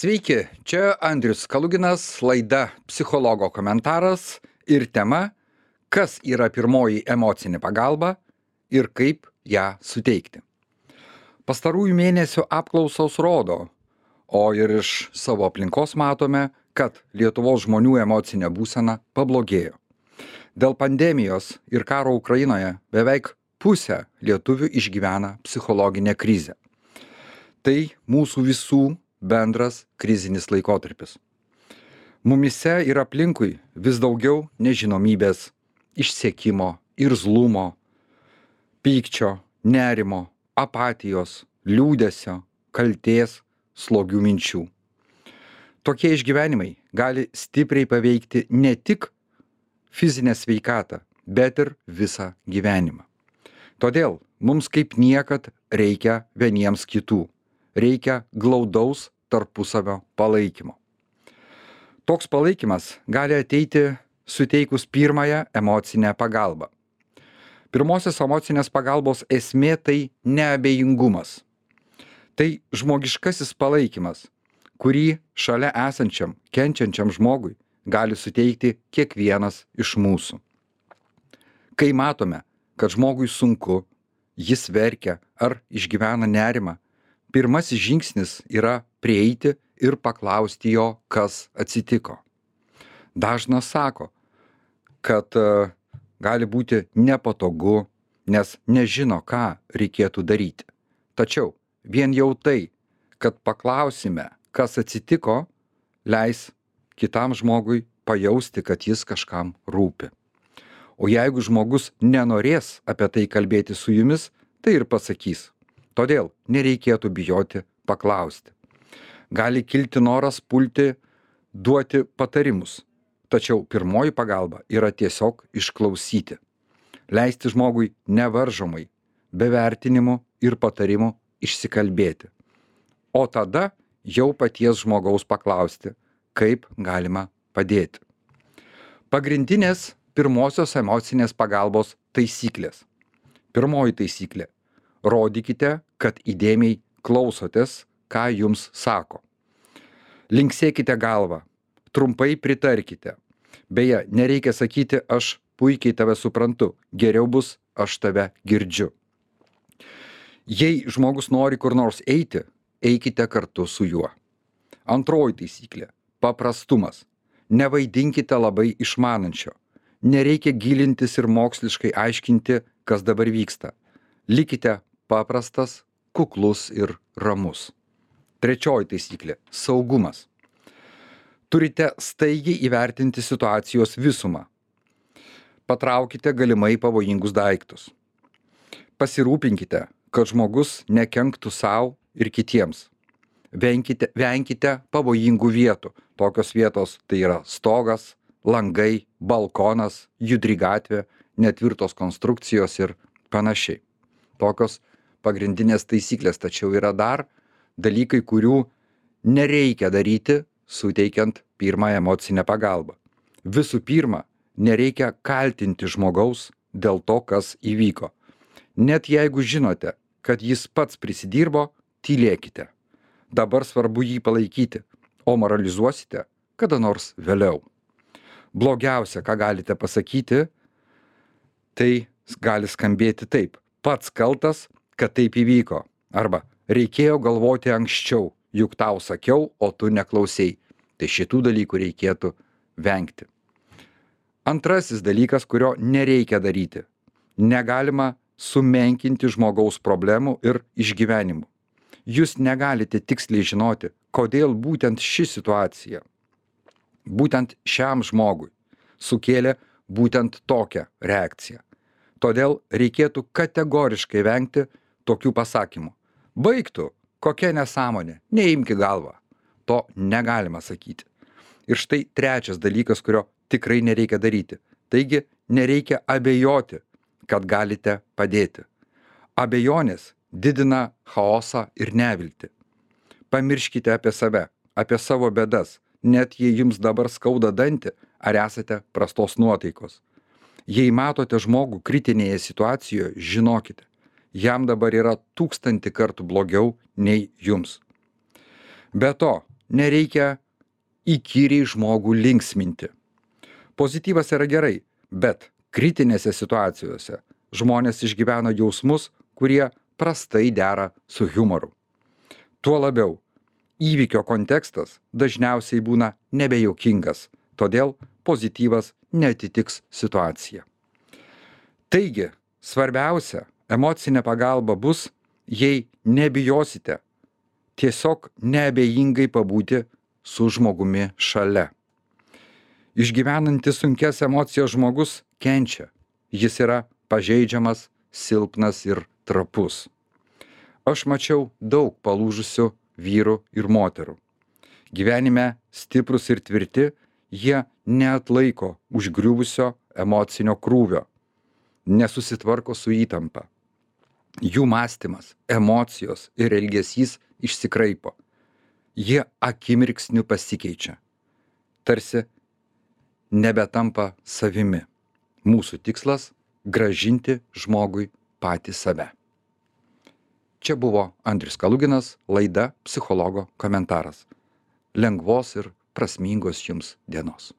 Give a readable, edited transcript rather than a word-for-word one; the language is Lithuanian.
Sveiki, čia Andrius Kaluginas, laida Psichologo komentaras ir tema, kas yra pirmoji emocinė pagalba ir kaip ją suteikti. Pastarųjų mėnesių apklausos rodo, o ir iš savo aplinkos matome, kad Lietuvos žmonių emocinė būsena pablogėjo. Dėl pandemijos ir karo Ukrainoje beveik pusė lietuvių išgyvena psichologinę krizę. Tai mūsų visų bendras krizinis laikotarpis. Mumise ir aplinkui vis daugiau nežinomybės, išsekimo, irzlumo, pykčio, nerimo, apatijos, liūdesio, kaltės, slogių minčių. Tokie išgyvenimai gali stipriai paveikti ne tik fizinę sveikatą, bet ir visą gyvenimą. Todėl mums kaip niekad reikia vieniems kitų. Reikia glaudaus tarpusavio palaikymo. Toks palaikymas gali ateiti suteikus pirmąją emocinę pagalbą. Pirmosios emocinės pagalbos esmė tai neabejingumas. Tai žmogiškasis palaikymas, kurį šalia esančiam, kenčiančiam žmogui gali suteikti kiekvienas iš mūsų. Kai matome, kad žmogui sunku, jis verkia ar išgyvena nerimą, pirmasis žingsnis yra prieiti ir paklausti jo, kas atsitiko. Dažnas sako, kad gali būti nepatogu, nes nežino, ką reikėtų daryti. Tačiau vien jau tai, kad paklausime, kas atsitiko, leis kitam žmogui pajausti, kad jis kažkam rūpi. O jeigu žmogus nenorės apie tai kalbėti su jumis, tai ir pasakys. Todėl nereikėtų bijoti paklausti. Gali kilti noras pulti duoti patarimus, tačiau pirmoji pagalba yra tiesiog išklausyti. Leisti žmogui nevaržomai, be vertinimų ir patarimų išsikalbėti. O tada jau paties žmogaus paklausti, kaip galima padėti. Pagrindinės pirmosios emocinės pagalbos taisyklės. Pirmoji taisyklė. Rodykite, kad įdėmiai klausotės, ką jums sako. Linksėkite galvą, trumpai pritarkite. Beje, nereikia sakyti, aš puikiai tave suprantu, geriau bus, aš tave girdžiu. Jei žmogus nori kur nors eiti, eikite kartu su juo. Antroji taisyklė – paprastumas. Nevaidinkite labai išmanančio. Nereikia gilintis ir moksliškai aiškinti, kas dabar vyksta. Likite paprastas, kuklus ir ramus. Trečioji taisyklė – saugumas. Turite staigiai įvertinti situacijos visumą. Patraukite galimai pavojingus daiktus. Pasirūpinkite, kad žmogus nekenktų sau ir kitiems. Venkite pavojingų vietų. Tokios vietos tai yra stogas, langai, balkonas, judri gatvė, netvirtos konstrukcijos ir panašiai. Tokios pagrindinės taisyklės, tačiau yra dar dalykai, kurių nereikia daryti, suteikiant pirmąją emocinę pagalbą. Visų pirma, nereikia kaltinti žmogaus dėl to, kas įvyko. Net jeigu žinote, kad jis pats prisidirbo, tylėkite. Dabar svarbu jį palaikyti, o moralizuosite kada nors vėliau. Blogiausia, ką galite pasakyti, tai gali skambėti taip. Pats kaltas, kad taip įvyko. Arba reikėjo galvoti anksčiau, juk tau sakiau, o tu neklausei. Tai šitų dalykų reikėtų vengti. Antrasis dalykas, kurio nereikia daryti. Negalima sumenkinti žmogaus problemų ir išgyvenimų. Jūs negalite tiksliai žinoti, kodėl būtent ši situacija, būtent šiam žmogui sukėlė būtent tokią reakciją. Todėl reikėtų kategoriškai vengti tokių pasakymų. Baigtų, kokia nesąmonė, neimki galvą. To negalima sakyti. Ir štai trečias dalykas, kurio tikrai nereikia daryti. Taigi nereikia abejoti, kad galite padėti. Abejonės didina chaosą ir neviltį. Pamirškite apie save, apie savo bėdas, net jei jums dabar skauda dantį ar esate prastos nuotaikos. Jei matote žmogų kritinėje situacijoje, žinokite, jam dabar yra 1000 kartų blogiau nei jums. Be to, nereikia įkyriai žmogų linksminti. Pozityvas yra gerai, bet kritinėse situacijose žmonės išgyvena jausmus, kurie prastai dera su humoru. Tuo labiau, įvykio kontekstas dažniausiai būna nebejuokingas, todėl pozityvas neatitiks situaciją. Taigi, svarbiausia, emocinė pagalba bus, jei nebijosite tiesiog neabejingai pabūti su žmogumi šalia. Išgyvenantis sunkias emocijas žmogus kenčia. Jis yra pažeidžiamas, silpnas ir trapus. Aš mačiau daug palūžusių vyrų ir moterų. Gyvenime stiprus ir tvirti, jie neatlaiko užgriuvusio emocinio krūvio, nesusitvarko su įtampa. Jų mąstymas, emocijos ir elgesys išsikraipo. Jie akimirksniu pasikeičia. Tarsi nebetampa savimi. Mūsų tikslas – grąžinti žmogui patį save. Čia buvo Andrius Kaluginas, laida Psichologo komentaras. Lengvos ir prasmingos jums dienos.